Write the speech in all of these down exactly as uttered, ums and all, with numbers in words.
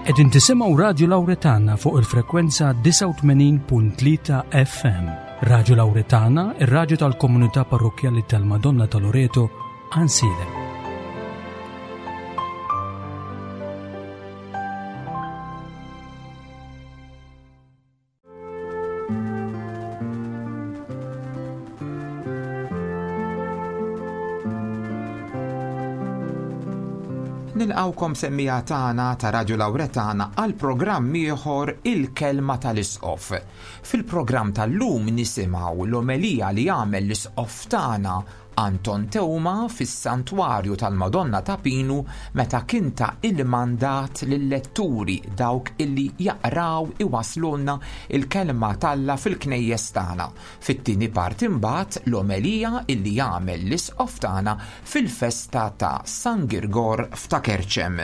Qegħdin tisimgħu Radju Lawretana fuq il-frekwenza disgħa u tmenin punt tlieta F M. Radju Lawretana, ir-radju tal-komunità parrokkjali tal-Madonna ta' Loreto, Għajnsielem. Nilqawkom semmija tagħna ta' Radju Lawretana għal programm ieħor Il-Kelma tal-Isqof. Fil-programm tal-lum nisimgħu l-omelija li għamel l-Isqof tagħna Anton Teuma fis-Santwarju tal-Madonna ta' Pinu meta kien ta' il-mandat lill-letturi dawk illi jaqraw iwaslulna il-kelma t'Alla fil-knejjes tagħna. Fit-tieni parti imbagħad l-omelija illi jagħmel l-Isqof tagħna fil-festa ta' San Girgor f'Ta' Kerċem.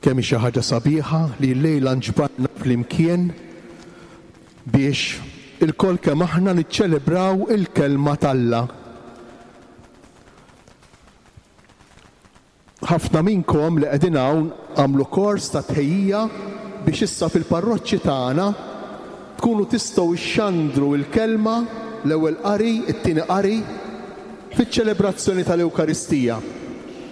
Kemm xi ħaġa sabiħa li llejla nġbarna flimkien biex ilkoll kemm aħna niċċelebraw il-kelma t'Alla. Ħafna minnkom li qegħdin hawn għamlu kors ta' tħejjija biex issa fil-parroċċi tagħna tkunu tistgħu xxandru l-kelma, l-ewwel qari, it-tieni qari, fiċ-ċelebrazzjoni tal-Ewkaristija.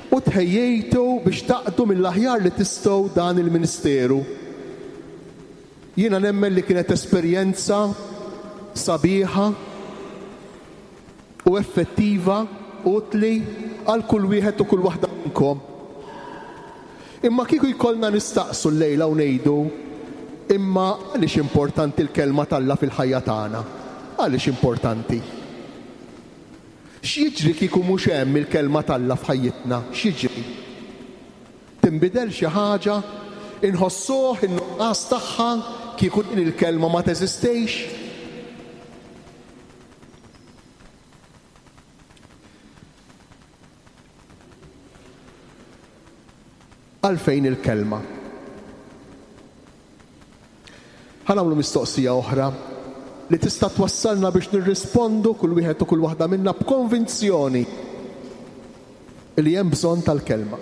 U tħejjejtu biex taqdu mill-aħjar li tistgħu dan il-ministeru. Jiena nemmen li kienet esperjenza sabiħa u effettiva, utli għal kull wieħed u kull waħda minnkom. Imma kieku jkollna nistaqsu llejla u ngħidu, imma għaliex importanti l-kelma t'Alla fil-ħajja tagħna? Għaliex importanti? X'jiġri kieku mhux hemm il-kelma t'Alla f'ħajjitna? X'jiġri? Tinbidel xi ħaġa? Inħossuh in-nuqqas tagħha kieku din il-kelma ma teżistix? Għalfejn il-kelma? Ħa nagħmlu mistoqsija oħra li tista' twassalna biex nirrispondu kull wieħed u kull waħda minna b'konvinzjoni li hemm bżonn tal-kelma.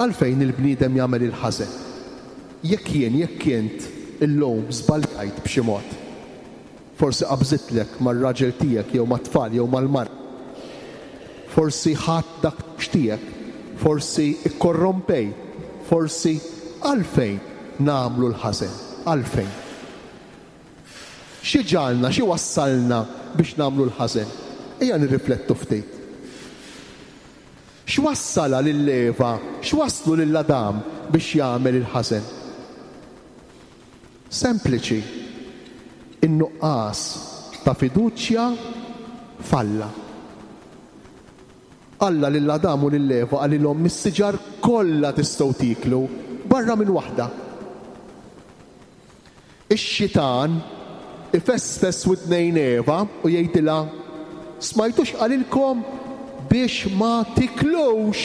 Għalfejn il-bniedem jagħmel il-ħażen? Jekk jien, jekk int illum żbaljajt b'xi mod, forsi qabżitlek mar-raġel tiegħek jew mat-tfal jew mal-mara, forsi ħadd dak tiegħek, forsi ikkorrompejt, forsi għalfejn nagħmlu l-ħażen? Għalfejn? Xi ġalna, xi wassalna biex nagħmlu l-ħażen? Ejja nirriflettu ftit. X'wassala lil Eva, x'wasslu lil Adam biex jagħmel il-ħażen? Sempliċi, in-nuqqas ta' fiduċja f'Alla. Alla lil Adam u lil Eva qalilhom mis-siġar kollha tistgħu tieklu barra minn waħda. Ix-xitan ifesfes widnejn Eva u jgħidilha, smajtux qalilkom biex ma tiklux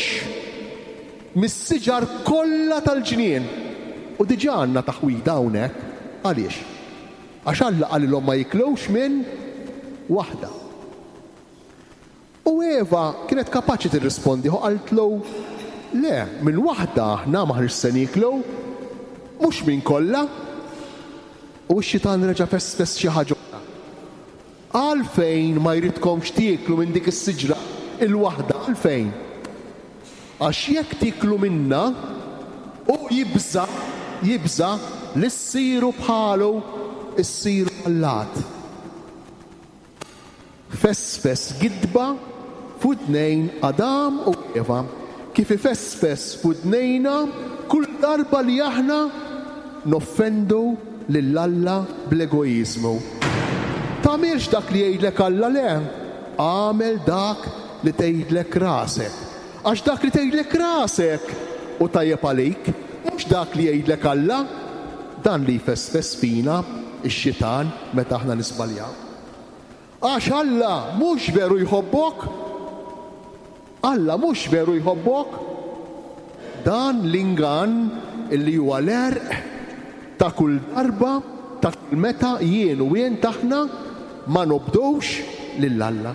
mis-siġar kollha tal-ġnien. U diġà għandna taħwida hawnhekk. Għaliex? Għax Alla qalilhom ma jiklux minn waħda. U Eva kienet kapaċi tirrispondi u qaltlu, le, minn waħda aħna maħniex se nieklu, mhux minn kollha. U x-xitan reġa' fesfes xi ħaġa oħra. Għalfejn ma jridkomx tieklu minn dik is-siġra il-waħda? Għalfejn? Għax jekk tieklu minna, u jibża', jibża' li ssiru bħalu, issiru allat. Fesfes gidba f'widnejn Adam u Eva, kif ifesfes f'widnejna kull darba li aħna noffendu lil Alla bl-egoiżmu. Tagħmilx dak li jgħidlek Alla, le, għamel dak li tgħidlek rasek. Għax dak li tgħidlek rasek u tajjeb għalik, mhux dak li jgħidlek Alla. Dan li jfesfes fina x-xitan meta aħna nisbaljaw. Għax Alla mhux veru jħobbok, Alla mhux veru jħobbok. Dan l-ingann illi huwa l-għerq ta' kull darba ta' meta jien u jien taħna ma nobdux lil Alla.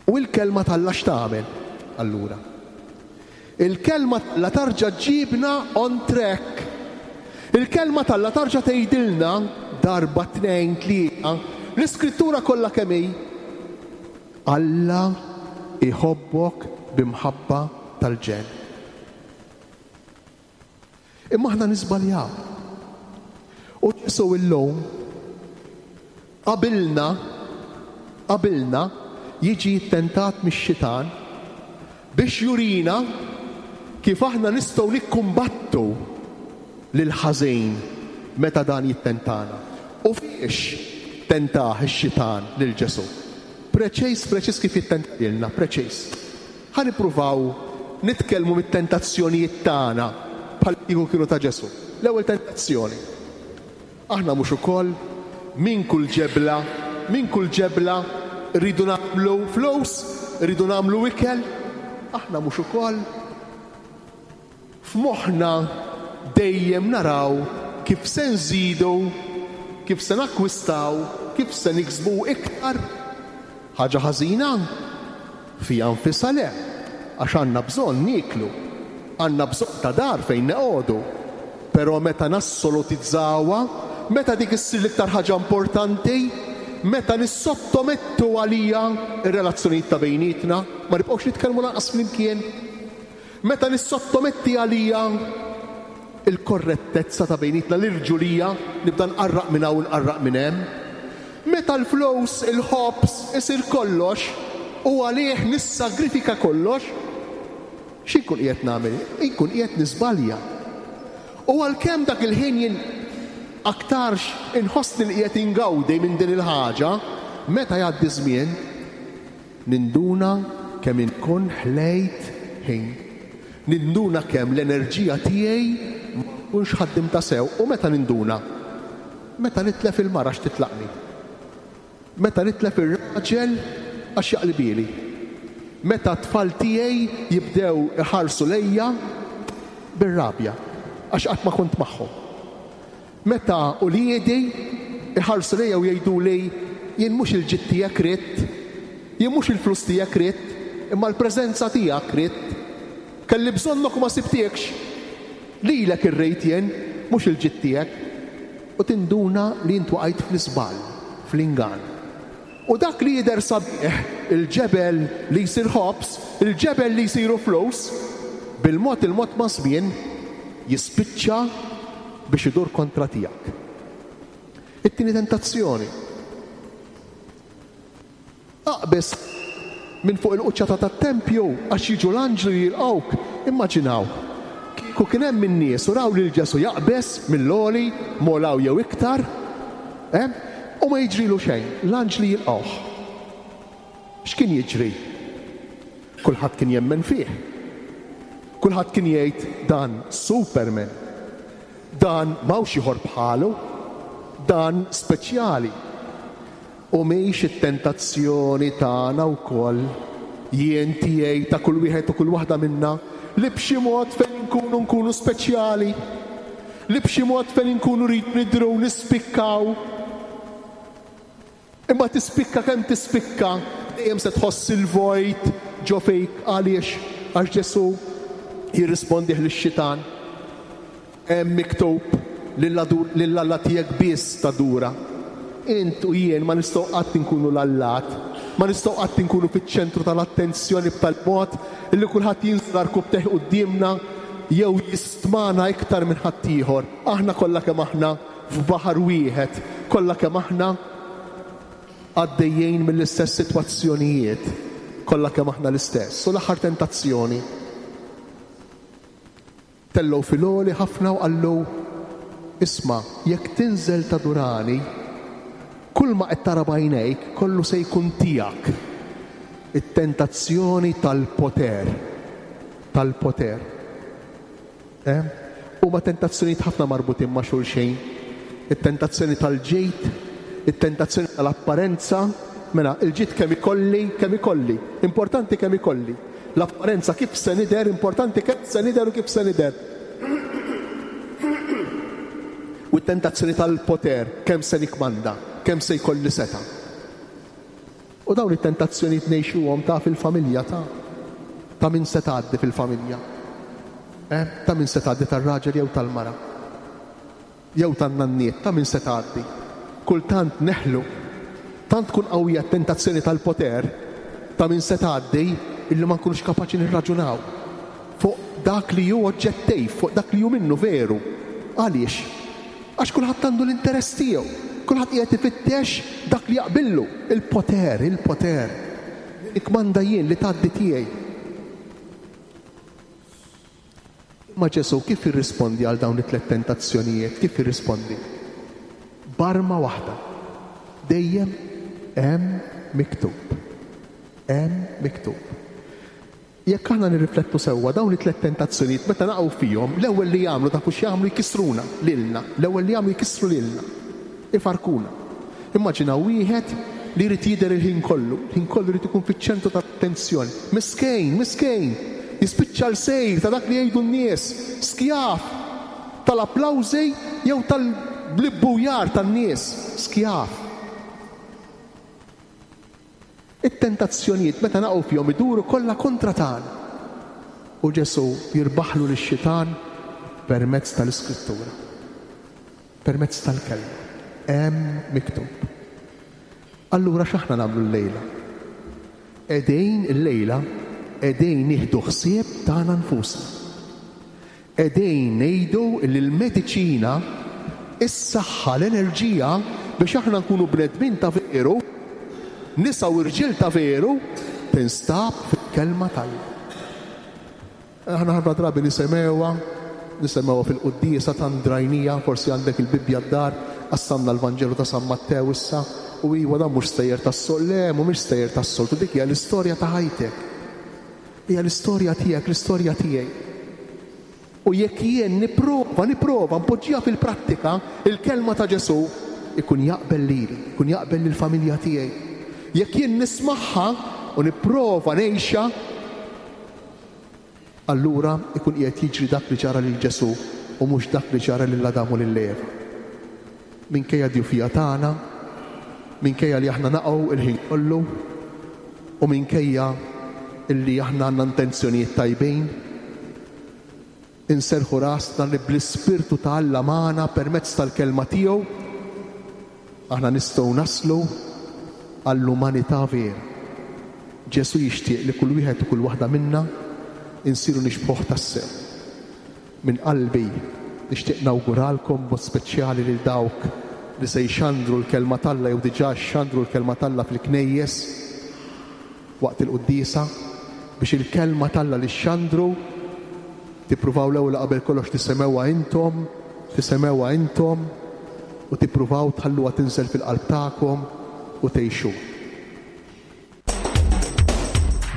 U l-kelma t'Alla x'tagħmel allura? Il-kelma la tarġa' ġibna on track. Il-kelma t'Alla tarġa' tgħidilna darba tnejn tlieta l-iskrittura kollha kemm hi. Alla iħobbok b'imħabba tal-ġenn. Imma aħna niżbaljaw. U Ġesù illum qabilna qabilna jiġi ttentat mix-xitan biex jurina kif aħna nistgħu nikkumbattu lil ħażin meta dan jittentana. U fiex tentah ix-xitan lil Ġesù? Preċiż, preċiż kif jittentilna, preċiż. Ħa nippruvaw nitkellmu mit-tentazzjonijiet tagħna bħal kieku kienu ta' Ġesù. L-ewwel tentazzjoni. Aħna mhux ukoll minn kull ġebla, minn kull ġebla rridu nagħmlu flus, rridu nagħmlu ikel. Aħna mhux ukoll f'moħħna dejjem naraw kif se nżidu, kif se nakkwistaw, kif se niksbu iktar. Ħaġa ħażina fija nfisha le, għax għandna bżonn nieklu, għandna bżonn ta' dar fejn neqogħdu. Però meta nassolutizzawha, meta dik issir l-iktar ħaġa importanti, meta nissottomettu għalija ir-relazzjonijiet ta' bejnietna, ma nibqgħux nitkellmu lanqas flimkien. Meta nissottometti għalija il-korrettezza ta' bejnietna, l-irġulija, nibda nqarraq minn hawn nqarraq minn hemm. Meta l-flus, il-ħobż isir kollox u għalih nissagrifika kollox, x'inkun qiegħed nagħmel? Inkun qiegħed niżbalja. U għalkemm dak il-ħin jien aktarx inħossni li qiegħed ingawdi minn din il-ħaġa, meta jgħaddi żmien ninduna kemm inkun ħlejt ħin. Ninduna kemm l-enerġija tiegħi ma nkunx ħaddimta sew. U meta ninduna? Meta nitlef il-mara għax titlaqni. Meta nitlef ir-raġel għax jaqlibili. Meta t-tfal tiegħi jibdew iħarsu lejja bir-rabja għax qatt ma kont magħhom. Meta uliedi iħarsu lejja u jgħidu li jien mhux il-ġid tiegħek ridt, jien mhux il-flus tiegħek ridt, imma l-preżenza tiegħek ridt. Kelli bżonnok u ma sibtiekx. Lilek irrejt jien, mhux il-ġid tiegħek. U tinduna li int waqajt fl-iżball, fl-ingann. U dak li jidher sabiħ, il-ġebel li jsir ħobż, il-ġebel li jsiru flus, bil-mod il-mod ma' żmien jispiċċa biex idur kontra tiegħek. It-tieni tentazzjoni. Aqbeż minn fuq il-quċċata tat-tempju għax jiġu l-anġlu jilqgħuk. Immaġinaw, kieku kien hemm in-nies u raw lil Ġesù jaqbeż mill-għoli, molaw jew iktar, eh? U ma jiġrilu xejn, l-anġli jilqgħuh. X'kien jiġri? Kulħadd kien jemmen fih. Kulħadd kien jgħid dan Superman, dan m'hawnx ieħor bħalu, dan speċjali. U mhix it-tentazzjoni tagħna wkoll, jien tiegħi ta' kull wieħed u kull waħda minna, li b'xi mod fejn inkunu nkunu speċjali, li b'xi mod fejn inkunu rrid nidhru nispikkaw. Imma tispikka kemm tispikka, dejjem se tħoss il-vojt ġo fik. Għaliex? Għax Ġesù jirrispondih lix-xitan. Hemm miktub lil Alla tiegħek biss tadura. Int u jien ma nistgħu qatt inkunu l-allat, ma nistgħu qatt inkunu fiċ-ċentru tal-attenzjoni b'tal-mod illi kulħadd jinżlar kubteh quddiemna jew jistmana iktar minn ħaddieħor. Aħna kollha kemm aħna f'baħar wieħed, kollha kemm aħna għaddejjin mill-istess sitwazzjonijiet, kollha kemm aħna l-istess. U l-aħħar tentazzjoni. Tellgħu fil-għoli ħafna u qallu, isma', jekk tinżel tadurani, kull ma qed tara b'għajnejk kollu se jkun tiegħek. It-tentazzjoni tal-poter, tal-poter. Eh? Huma tentazzjonijiet ħafna marbutin ma' xulxin. It-tentazzjoni tal-ġid, it-tentazzjoni tal-apparenza. Mela, il-ġid kemm ikolli, kemm ikolli. Importanti kemm ikolli. L-apparenza kif se nidher, importanti kemm se nidher u kif se nidher. U it-tentazzjoni tal-poter, kemm se nikmanda, kemm se jkolli seta'. U dawn it-tentazzjonijiet ngħixuhom ta' fil-familja ta' ta' min se tgħaddi fil-familja. Eh? Ta' min se tgħaddi, tar-raġel jew tal-mara. Jew tan-nanniet, ta' min se tgħaddi. Kultant neħlu, tant tkun qawwija t-tentazzjoni tal-poter ta' min se tgħaddi illi ma nkunux kapaċi nirraġunaw fuq dak li hu oġġettiv, fuq dak li hu minnu veru. Għaliex? Għax kulħadd għandu l-interess tiegħu. Kulħadd qiegħed ifittex dak li jaqbillu. Il-poter, il-poter. Nikmanda jien, li tgħaddi tiegħi. Ma Ġesù kif jirrispondi għal dawn it-tliet tentazzjonijiet? Kif jirrispondi? B'arma waħda. Dejjem hemm miktub. Hemm miktub. Jekk aħna nirriflettu sewwa, dawn it-tliet tentazzjonijiet meta naqgħu fihom, l-ewwel li jagħmlu, tafu x'jagħmlu, jkissruna lilna. L-ewwel li jagħmlu jkissru lilna. Ifarkuna. Immaġina wieħed li jrid jidher il-ħin kollu, il-ħin kollu jrid ikun fiċ-ċentru tat-attenzjoni. Miskejn, miskejn, jispiċċa l-sejr ta' dak li jgħidu n-nies, skjav tal-applawżi jew tal-blibbujar tan-nies, skjav. It-tentazzjonijiet meta naqgħu fihom iduru kollha kontra tagħna. U Ġesù jirbaħlu lix-xitan permezz tal-Iskrittura, permezz tal-kelma. Hemm miktub. Allura x'aħna nagħmlu llejla? Qegħdin illejla qegħdin nieħdu ħsieb tagħna nfusna. Qegħdin ngħidu li l-mediċina, is-saħħa, l-enerġija biex aħna nkunu bnedmin ta' veru, nisa u rġiel ta' veru, tinstab fil-kelma t'Alla. Aħna ħafna drabi nisemgħuha, nisemgħuha fil-quddiesa tant drajnija, forsi għandek il-Bibbja d-dar, qassamna l-Vanġelu ta' San Mattew issa, u iwa dan mhux stejjer tas-sol, le mhumiex stejjer tas-soltu, dik hija l-istorja ta' ħajtek. Hija l-istorja tiegħek, l-istorja tiegħi. U jekk jien nipprova, nipprova npoġġiha fil-prattika, il-kelma ta' Ġesù ikun jaqbel lili, ikun jaqbel lill-familja tiegħi. Jekk jien nismagħha u nipprova ngħixha, allura ikun qiegħed jiġri dak li ġara lil Ġesù u mhux dak li ġara lil Adam u lil Eva. Minkejja d-djufija tagħna, minkejja li aħna naqgħu il-ħin kollu, u minkejja illi aħna għandna intenzjonijiet tajbin, inserħu rasna li bl-Ispirtu ta' Alla magħna permezz tal-kelma tiegħu aħna nistgħu naslu għall-umanità vera. Ġesù jixtieq li kull wieħed u kull waħda minna insiru nixbħuh tassew. Minn qalbi nixtieq nawguralkom b'mod speċjali lil dawk li se jxandru l-kelma t'Alla jew diġà xandru l-kelma t'Alla fil-knejjes waqt il-quddiesa, biex il-kelma t'Alla li xandru tippruvaw l-ewwel qabel kollox tisemgħuha intom, tisemgħuha intom u tippruvaw tħalluha tinżel fil-qalb tagħkom u tgħixu.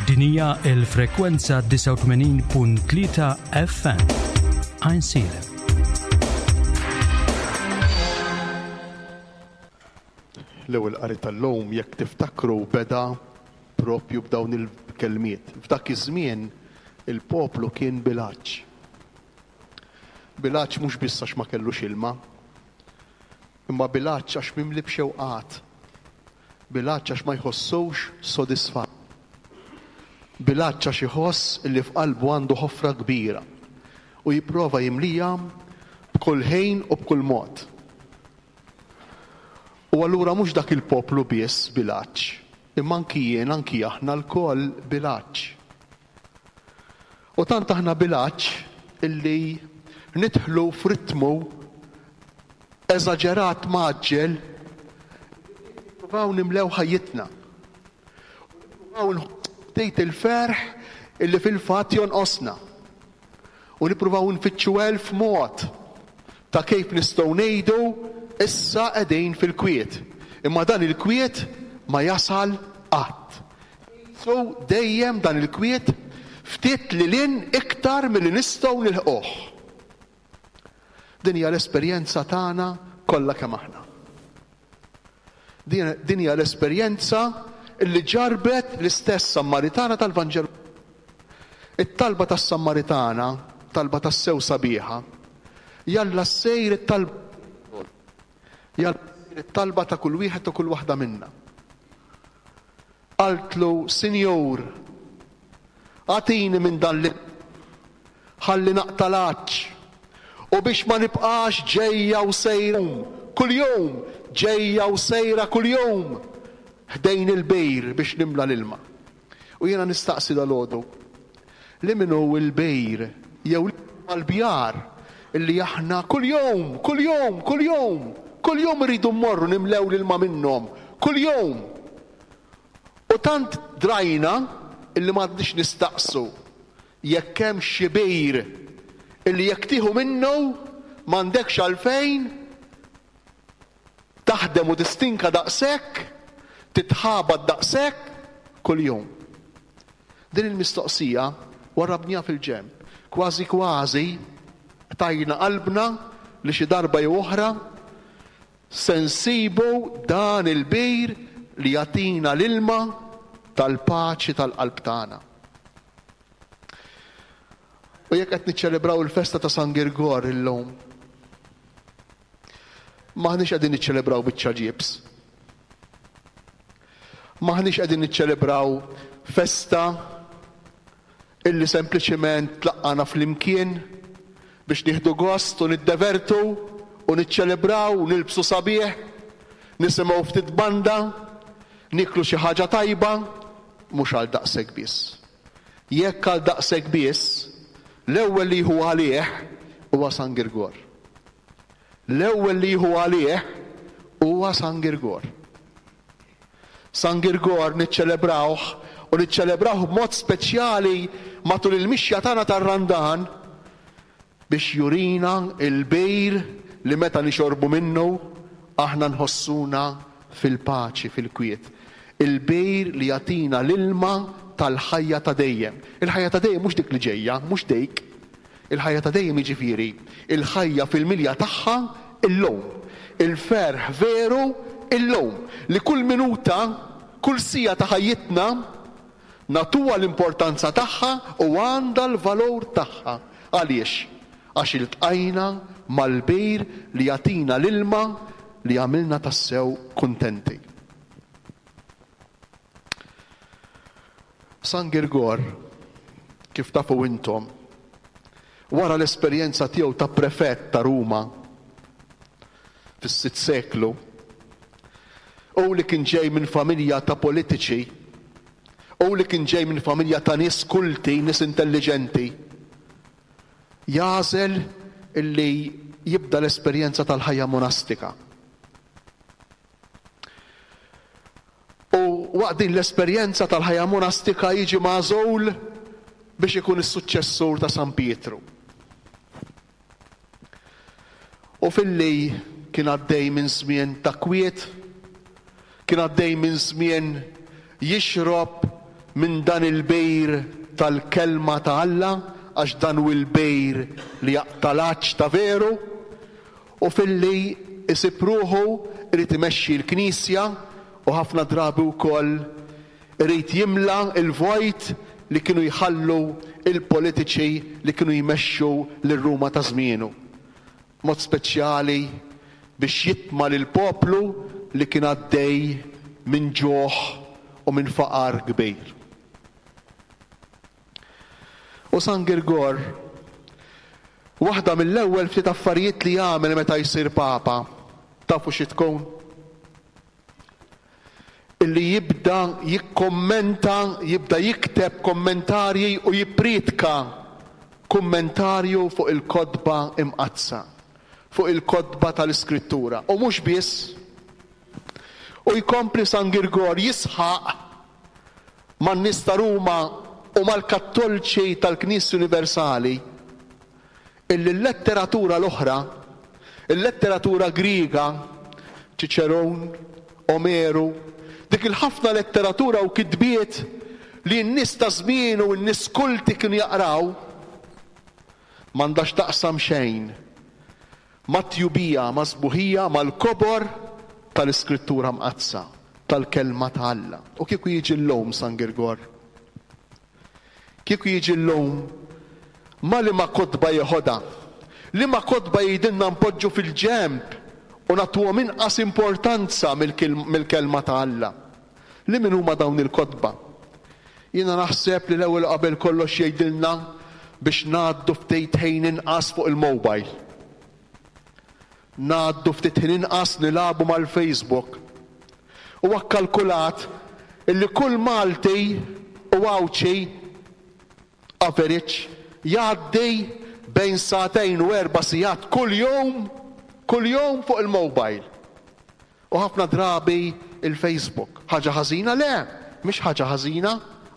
Din hija l-frekwenza disgħa u tmenin punt tlieta F M. Għajnsielem. L-ewwel qari tal-lum, jekk tiftakru, beda propju b'dawn il-kelmiet. F'dak iż-żmien il-poplu kien bil-għatx. Bil-għatx mhux biss għax ma kellux ilma, imma bil-għatx għax mimli b'xewqat. Bil-għatx għax ma jħossux sodisfatt. Bil-għatx għax iħoss li f'qalbu għandu ħofra kbira u jipprova jimlija b'kull ħin u b'kull mod. U allura mhux dak il-poplu biss bil-għatx, imma anki jien, anki aħna lkoll bil-għatx. U tant aħna bil-għatx illi nidħlu f'ritmu eżaġerat maġġel, nippruvaw nimlew ħajjitna. Nippruvaw nħossejt il-ferħ illi fil-fatt jonqosna. U nippruvaw nfittxu elf mod ta' kif nistgħu ngħidu issa qegħdin fil-kwiet. Imma dan il-kwiet ma jasal qatt. So dejjem dan il-kwiet ftit li lin iktar milli nistgħu nilħquh. Din hija l-esperjenza tagħna kollha kemm aħna. Din, din hija l-esperjenza li ġarbet l-istess Sammaritana tal-Vanġelu. It-talba tas-Sammaritana, talba tas-sew sabiħa, jalla ssejr it-talba. Jalla it-talba ta' kull wieħed u kull waħda minna. Qaltlu, Sinjur, agħtini minn dan l ħalli naqta' l-għatx u biex ma nibqax ġejja u sejra kuljum, ġejja u sejra kuljum ħdejn il-bejr biex nimla l-ilma. U jiena nistaqsi dalgħodu li min hu l-bejr jew l-bjar illi aħna kuljum, kuljum, kuljum, kuljum irridu mmorru nimlew l-ilma minnhom, kuljum. U tant drajna illi m'għadniex nistaqsu jekk hemm xi bejr illi jekk tieħu minnu m'għandekx għalfejn taħdem u tistinka daqshekk, titħabat daqshekk kuljum. Din il-mistoqsija warrabniha fil-ġenb. Kważi kważi tajna qalbna li xi darba jew oħra se nsibu dan il-bir li jagħtina l-ilma tal-paċi tal-qalb tagħna. U jekk qed niċċelebraw il-festa ta' San Girgor illum, m'aħniex qegħdin niċċelebraw biċċa ġibs. M'aħniex qegħdin niċċelebraw festa illi sempliċiment tlaqqana flimkien biex nieħdu gost u niddevertu u niċċelebraw u nilbsu sabiħ, nisimgħu ftit banda, niklu xi ħaġa tajba, mhux għal daqshekk biss. Jekk għal daqshekk biss, l-ewwel li jieħu għalih huwa San Girgor. L-ewwel li jieħu għalih huwa San Girgor. San Girgor niċċelebrawh u niċċelebrawh b'mod speċjali matul il-mixja tagħna tar-Randan biex jurina il-bejr li meta nixorbu minnu aħna nħossuna fil-paċi, fil-kwiet. Il-bejr li jagħtina l-ilma tal-ħajja ta' dejjem. Il-ħajja ta' dejjem mhux dik li ġejja, mhux dejk. Il-ħajja ta' dejjem jiġifieri il-ħajja fil-milja tagħha illum. Il-ferħ veru illum. Li kull minuta, kull sija ta' ħajjitna nagħtuha l-importanza tagħha u għandha l-valur tagħha. Għaliex? Għax iltqajna mal-bejr li jagħtina l-ilma li għamilna tassew kuntenti. San Girgor, kif tafu intom, wara l-esperjenza tiegħu ta' prefett ta' Ruma fis-sitt seklu, u li kien ġej minn familja ta' politiċi, u li kien ġej minn familja ta' nies kulti, nies intelliġenti, jagħżel illi jibda l-esperjenza tal-ħajja monastika. U waqt din l-esperjenza tal-ħajja monastika jiġi magħżul biex ikun is-suċċessur ta' San Pietru. U filli kien għaddej minn żmien ta' kwiet, kien għaddej minn żmien jixrob minn dan il-bejr tal-kelma ta' Alla, għax dan hu l-bejr li jaqta' l-għatx ta' veru, u filli isib ruħu irid imexxi l-Knisja u ħafna drabi wkoll irid jimla l-vojt li kienu jħallu il-politiċi li kienu jmexxu lil Ruma ta' żmienu. Mod speċjali biex jitma' lill-poplu li kien għaddej minn ġuħ u minn faqar kbir. U San Girgor, waħda mill-ewwel ftit affarijiet li jagħmel meta jsir Papa, tafu xi tkun? Illi jibda jikkommenta, jibda jikteb kommentarji u jippriedka kummentarju fuq il-kotba imqaddsa, fuq il-kotba tal-Iskrittura. U mhux biss, u jkompli San Girgor jisħaq man-nies ta' Ruma u mal-Kattolċi tal-Knisja Universali illi l-letteratura l-oħra, il-letteratura Griega, Ċiċeron, Omeru, dik il-ħafna letteratura u kitbiet li n-nies ta' żmien u n-nies kulti kienu jaqraw, m'għandax taqsam xejn mat-tjubija, ma' sbuħija, mal-kobor tal-Iskrittura Mqaddsa, tal-kelma ta' Alla. U kieku jiġi llum San Girgor, kieku jiġi llum, ma li ma kotba jeħodha, li ma kotba jgħidilna npoġġu fil-ġenb U nagħtuhom inqas importanza mill-kelma ta' Alla. Li min huma dawn il-kotba? Jiena naħseb li l-ewwel qabel kollox jgħidilna biex ngħaddu ftit ħin inqas fuq il-mobile. Ngħaddu ftit ħin inqas nilagħbu mal-Facebook. Huwa kkalkulat illi kull Malti u Għawdxi average jgħaddi bejn sagħtejn u erba' sigħat kuljum kuljum fuq il-mobile. U ħafna drabi il-Facebook. Ħaġa ħażina? Le, mhix ħaġa ħażina,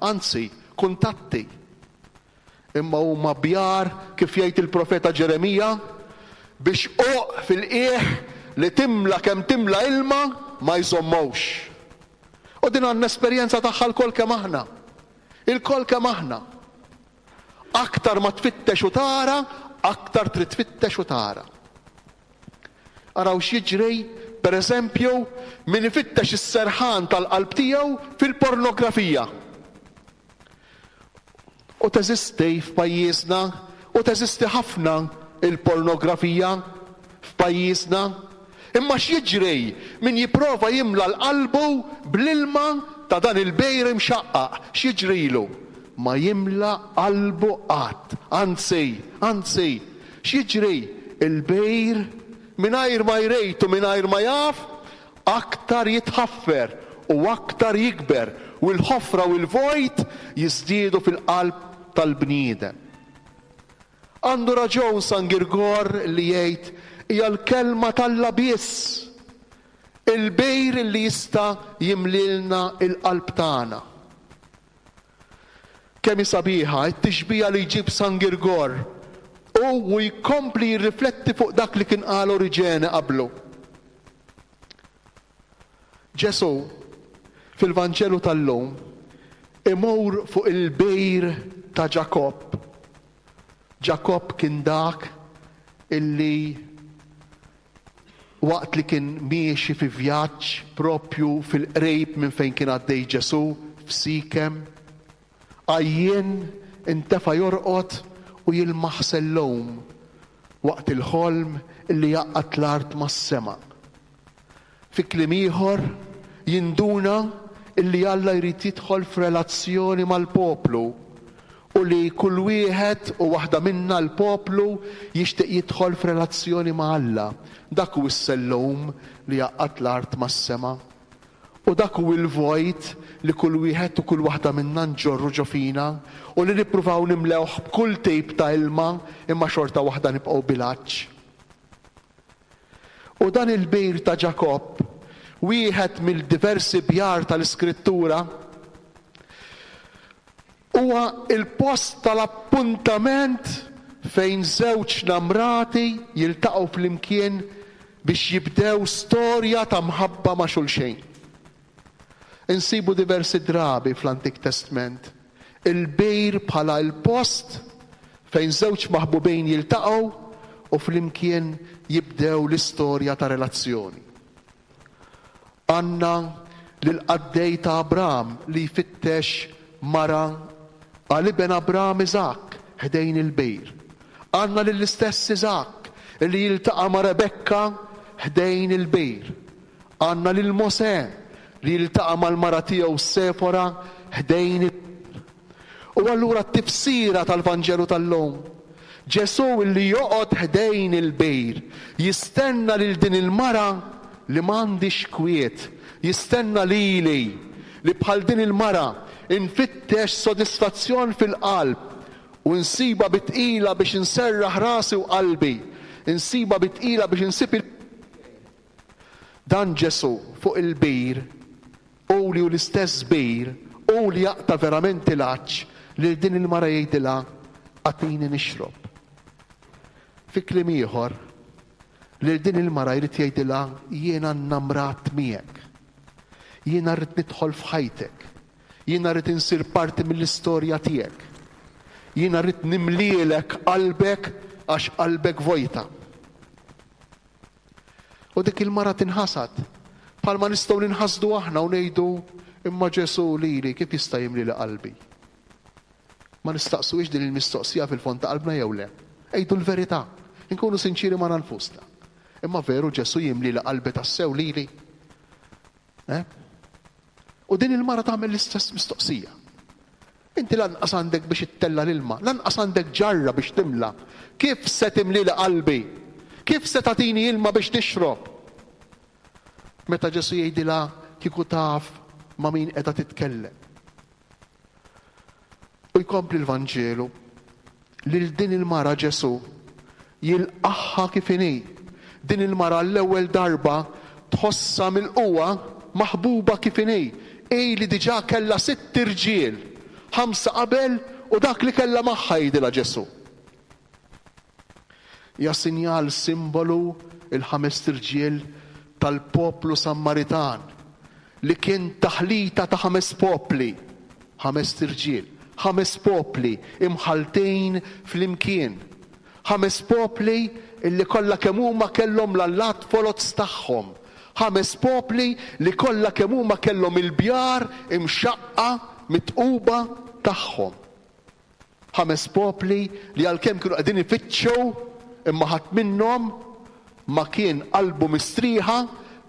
anzi, kuntatti. Imma huma bjar, kif jgħid il-profeta Ġeremija, biex uq fil-qiegħ li timla kemm timla ilma ma jżommowx. U din għandna esperjenza tagħha lkoll kemm aħna. Ilkoll kemm aħna. Aktar ma tfittex u tara, aktar trid tfittex u tara. Araw x'jiġri, per eżempju, min ifittex is-serħan tal-qalb tiegħu fil-pornografija. U teżisti f'pajjiżna, u teżisti ħafna il-pornografija f'pajjiżna. Imma x'jiġri min jipprova jimla l-qalbu bl-ilma ta' dan il-bejr imxaqqaq, x'jiġrilu? Ma jimla qalbu qatt. Anzi, anzi, x'jiġri? Il-bejr mingħajr ma jrejt u mingħajr ma jaf, aktar jitħaffer u aktar jikber, u l-ħofra u l-vojt jiżdiedu fil-qalb tal-bniedem. Għandu raġun San Girgor li jgħid hija l-kelma t'Alla biss, il-bejr li jista' jimlilna il-qalb tagħna. Kemm hi sabiħa t-tixbija li jġib San Girgor u u jkompli jirrifletti fuq dak li kien qal Oriġene qablu. Ġesù fil-Vanġelu tal-lum imur fuq il-bejr ta' Ġakobb. Ġakobb kien dak illi waqt li kien miexi fi vjaġġ propju fil-qrejb minn fejn kien għaddej Ġesù f'Sikem, għajjien intefa' jorqod u jilmaħ sellum waqt il-ħolm illi jgħaqqad l-art mas-sema. Fi kliem ieħor jinduna illi Alla jrid jidħol f'relazzjoni mal-poplu u li kull wieħed u waħda minna l-poplu jixtieq jidħol f'relazzjoni ma' Alla. Dak hu s-sellum li jgħaqqad l-art mas-sema. U dak hu l-vojt li kull wieħed u kull waħda minna nġorru ġo fina u li nippruvaw nimlewh b'kull tip ta' ilma imma xorta waħda nibqgħu bil-għatx. U dan il-bir ta' Ġakobb, wieħed mill-diversi bjar tal-Iskrittura, huwa il-post tal-appuntament fejn żewġ namrati jiltaqgħu flimkien biex jibdew storja ta' mħabba ma' xulxejn. Insibu diversi drabi fl-Antik Testament il-bejr bħala il-post fejn żewġ maħbubin jiltaqgħu u flimkien jibdew l-istorja ta' relazzjoni. Għandna lill-qaddej ta' Abram li jfittex mara għal iben Abram Iżakk ħdejn il-bejr. Għandna lill-istess Iżakk li jiltaqa' ma' Rebekka ħdejn il-bejr. Għandna lil Mosè li jiltaqa' mal-mara tiegħu Sefora ħdejn il-bejr. U allura t-tifsira tal-Vanġelu tal-lum, Ġesù li joqgħod ħdejn il-bejr, jistenna lil din il-mara li m'għandix kwiet, jistenna lili li bħal din il-mara infittex sodisfazzjon fil-qalb u nsiba bitqila biex inserraħ rasi u qalbi, insiba bitqila biex insib il- Dan Ġesù fuq il-bir, u li hu l-istess bir, u li jaqta' verament il-għatx, lil din il-mara jgħidilha agħtini nixrob. Fi kliem ieħor, lil din il-mara jrid jgħidilha jiena nnamrat miegħek. Jiena rrid nidħol f'ħajtek. Jiena rrid insir parti mill-istorja tiegħek. Jiena rrid nimlielek qalbek għax qalbek vojta. U dik il-mara tinħasad. Bħalma nistgħu ninħasdu aħna u ngħidu imma Ġesù lili kif jista' jimlili qalbi? Ma nistaqsuhiex din il-mistoqsija fil-fond ta' qalbna jew le? Ejdu l-verità, inkunu sinċiri ma' nfusna. Imma veru Ġesù jimlili qalbi tassew lili? Eh? U din il-mara tagħmel l-istess mistoqsija. Inti lanqas għandek biex ittella l-ilma, lanqas għandek ġarra biex timla. Kif se timlili qalbi? Kif se tagħtini ilma biex tixrob? Meta Ġesù jgħidilha kieku taf ma' min qiegħda titkellem. U jkompli l-Vanġelu lil din il-mara Ġesù jilqagħha kif inhi. Din il-mara l-ewwel darba tħossha mill-qwa maħbuba kif inhi. Ej li diġà kellha sitt irġiel, ħamsa qabel u dak li kellha magħha, jgħidilha Ġesù. Ja sinjal, simbolu, il-ħames irġiel tal-poplu Sammaritan li kien taħlita ta' ħames popli, ħames irġiel, ħames popli imħaltejn flimkien. Ħames popli illi kollha kemm huma kellhom l-allat foloz tagħhom. Ħames popli li kollha kemm huma kellhom il-bjar imxaqqa mitquba tagħhom. Ħames popli li għalkemm kienu qegħdin ifittxu, imma ħadd minnhom ma kien qalbu mistrieħa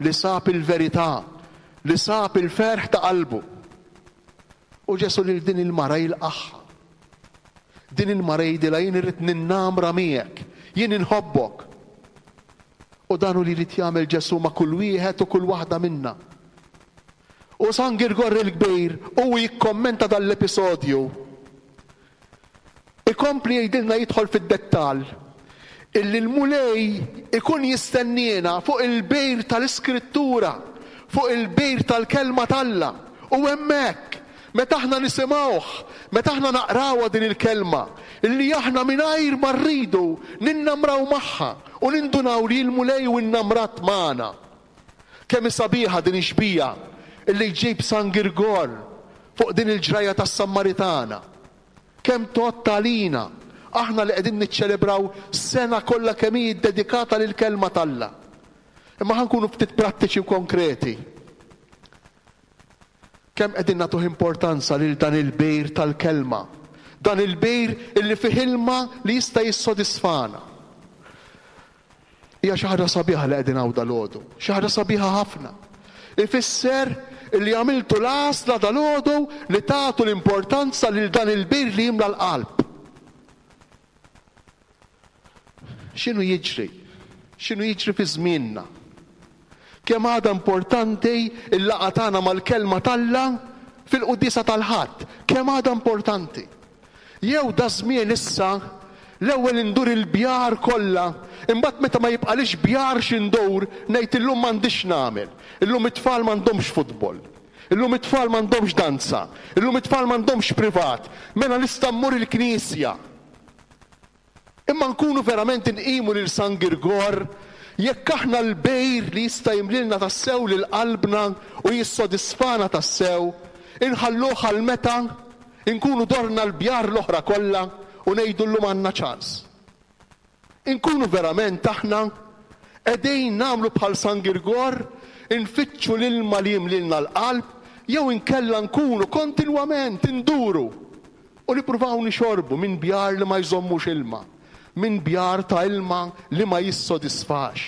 li sab il-verità, li sab il-ferħ ta' qalbu. U Ġesù lil din il-mara jilqagħha. Din il-mara jgħidilha, jien irrid ninnamra miegħek, jien inħobbok. U dan hu li jrid jagħmel Ġesù ma' kull wieħed u kull waħda minna. U San Girgor il-Kbir u jikkommenta dan l-episodju. Ikompli jgħidilna, jidħol fid-dettall, illi l-Mulej ikun jistenniena fuq il-bejr tal-Iskrittura, fuq il-bejr tal-kelma t'Alla. U hemmhekk, meta aħna nisimgħuh, meta aħna naqrawha din il-kelma, illi aħna mingħajr ma rridu ninnamraw magħha u nindunaw li l-Mulej u innamrat magħna. Kemm sabiħa din ix-xbieha illi jġib San Girgor fuq din il-ġrajja tas-Sammaritana. Kemm tgħodd għalina, aħna li qegħdin niċċelebraw sena kollha kemm hi ddedikata lill-kelma t'Alla. Imma ħa nkunu ftit prattiċi u konkreti. Kemm qegħdin nagħtuh importanza lil dan il-bejr tal-kelma, dan il-bejr illi fih ilma li jista' jissodisfana. Hija xi ħaġa sabiħa li qegħdin hawn dalgħodu, xi ħaġa sabiħa ħafna. Ifisser illi għamiltu l-għażla dalgħodu li tagħtu l-importanza lil dan il-bejr li jimla l-qalb. X'inhu jiġri? X'inhu jiġri fi żmienna? Kemm għadha importanti l-laqgħa tagħna mal-kelma t'Alla fil-quddiesa tal-Ħadd? Kemm għadha importanti? Jew da żmien issa l-ewwel indur il-bjar kollha, imbagħad meta ma jibqalix bjar x'indur ngħid illum m'għandix nagħmel. Illum it-tfal m'għandhomx futbol. Illum it-tfal m'għandhomx danza. Illum it-tfal m'għandhomx privat. Mela nista' mmur il-knisja. Imma nkunu verament inqimu lil San Girgor jekk aħna l-bejr li jista' jimlilna tassew lil qalbna u jissodisfana tassew, inħalluh għal meta nkunu dorna l-bjar l-oħra kollha u ngħidu llum għandna ċans. Inkunu verament aħna qegħdin nagħmlu bħal San Girgor, infittxu l-ilma li jimlilna l-qalb, jew inkella nkunu kontinwament induru u nippruvaw nixorbu minn bjar li ma jżommux ilma, minn bjar ta' ilma li ma jissodisfax.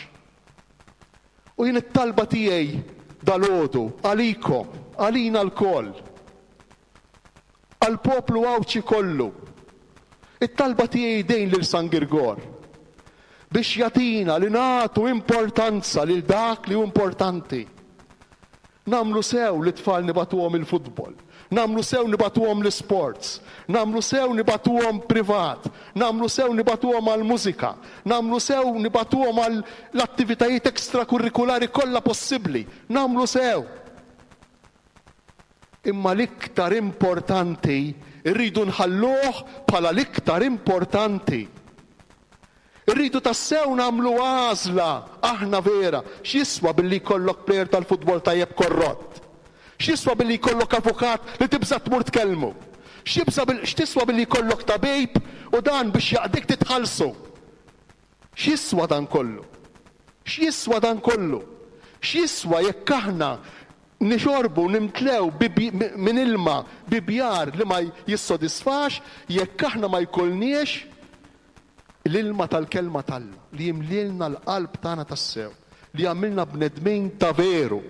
U jien it-talba tiegħi dalgħodu għalikom, għalina lkoll, għall-poplu Għawdxi kollu, it-talba tiegħi dejn lil San Girgor biex jagħtina li nagħtu importanza lil dak li hu importanti. Nagħmlu sew li tfal nibagħtuhom il-futbol, nagħmlu sew nibagħtuhom l-sports, nagħmlu sew nibagħtuhom privat, nagħmlu sew nibagħtuhom għall-mużika, nagħmlu sew nibagħtuhom għall-attivitajiet ekstrakurrikulari kollha possibbli, nagħmlu sew. Imma l-iktar importanti rridu nħalluh bħala l-iktar importanti. Irridu tassew nagħmlu għażla aħna vera. X'jiswa billi jkollok plejer tal-futbol tajjeb korrott? X'jiswa billi jkollok avukat li tibża' tmur tkellmu? X'tiswa billi jkollok tabib u dan biex jaqdik titħallsu? X'jiswa dan kollu? X'jiswa dan kollu? X'jiswa jekk aħna nixorbu nimtlew minn ilma bi bjar li ma jissodisfax, jekk aħna ma jkollniex L-ilma tal-kelma t'Alla li jimlilna l-qalb tagħna tassew, li jagħmilna bnedmin ta' veru.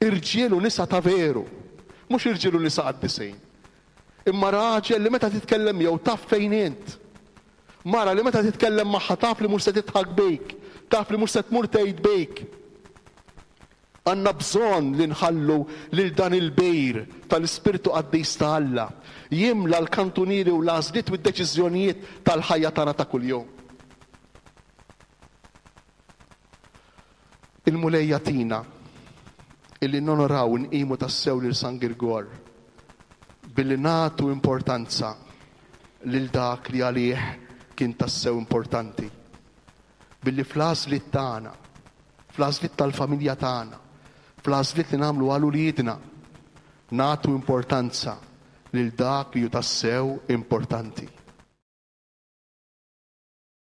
Irġiel u nisa ta' veru, mhux irġiel u nisa qaddisin. Imma raġel li meta titkellem miegħu taf fejn int. Mara li meta titkellem magħha taf li mhux se tidħak bik, taf li mhux se tmur tgħid bik. Għandna bżonn li nħallu lil dan il-bir tal-Ispirtu Qaddis ta' Alla jimla l-kantunieri u l-għażliet u d-deċiżjonijiet tal-ħajja tagħna ta' kuljum. Il-Mulej jagħtina illi nonoraw u nqimu tassew lil San Girgor billi nagħtu importanza lil dak li għalih kien tassew importanti. Billi fl-għażliet tagħna, fl-għażliet tal-familja tagħna, fl-għażliet li nagħmlu għal uliedna, nagħtu importanza lil dak li hu tassew importanti.